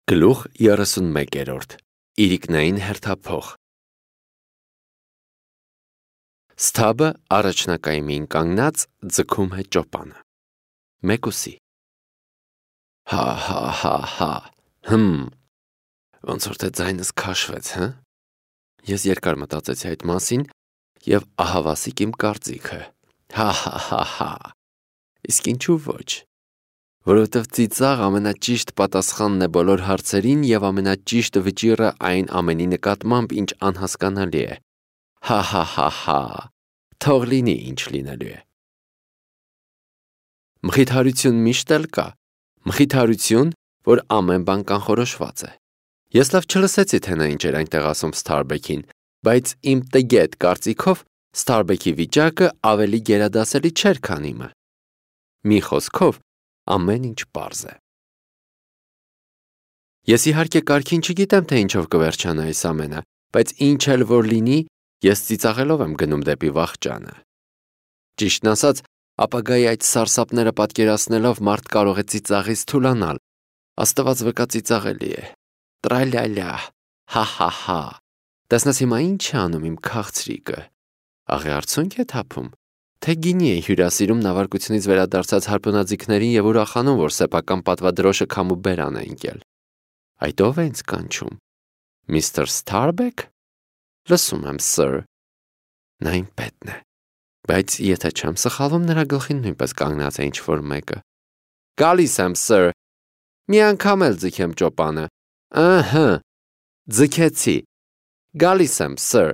Գլուխ 31 Իրիկնային հերթափոխ Սթաբը առաջնակայմին կանգնած ձգում է ճոպանը։ Մեկուսի Հա, ոնց որ թե ձայնս քաշվեց, հը։ Ես երկար մտածեցի այդ մասին և ահավասիկ իմ կարծիքը։ Հա, իսկ ինչու ոչ։ Որովհետև ծիծաղ ամենաճիշտ պատասխանն է բոլոր հարցերին և ամենաճիշտ վճիռը այն ամենի նկատմամբ, ինչ անհասկանալի է։ Հա, թող լինի ինչ լինելու է։ Մխիթարություն միշտ էլ կա, մխիթարություն, որ ամեն բան կանխորոշված է։ Ես լավ չլսեցի, թե նա ինչ էր այնտեղ ասում Սթարբեքին, բայց իմ տգետ կարծիքով Սթարբեքի վիճակը ավելի գերադասելի չէր, քան իմը։ Մի խոսքով, ամեն ինչ պարզ է։ Ես իհարկե կարգին չգիտեմ, թե ինչով կվերջանա այս ամենը, բայց ինչ էլ որ լինի, ես ծիծաղելով եմ գնում դեպի վախճանը։ Ճիշտն ասած, ապագայի այդ սարսափները պատկերացնելով մարդ կարող է ծիծաղից թուլանալ։ Աստված վկա ծիծաղելի է։ Տրալյալյա, հա։ Տեսնես հիմա ինչ է անում իմ քաղցրիկը։ Աղի արցունք է թափում, թե գինի է հյուրասիրում նավարկությունից վերադարձած հարբունաձիգներին և ուրախանում, որ սեփական պատվադրոշը քամու բերան է ընկել։ Այդ ո՞վ է ինձ կանչում։ Միսթր Սթարբեք։ Լսում եմ, սըր։ Նա իմ պետն է։ Բայց եթե չեմ սխալվում, նրա գլխին նույնպես կանգնած է ինչ-որ մեկը։ Գալիս եմ, սըր։ Մի անգամ էլ ձգեմ ճոպանը։ Ըհը, ձգեցի։ Գալիս եմ, սըր։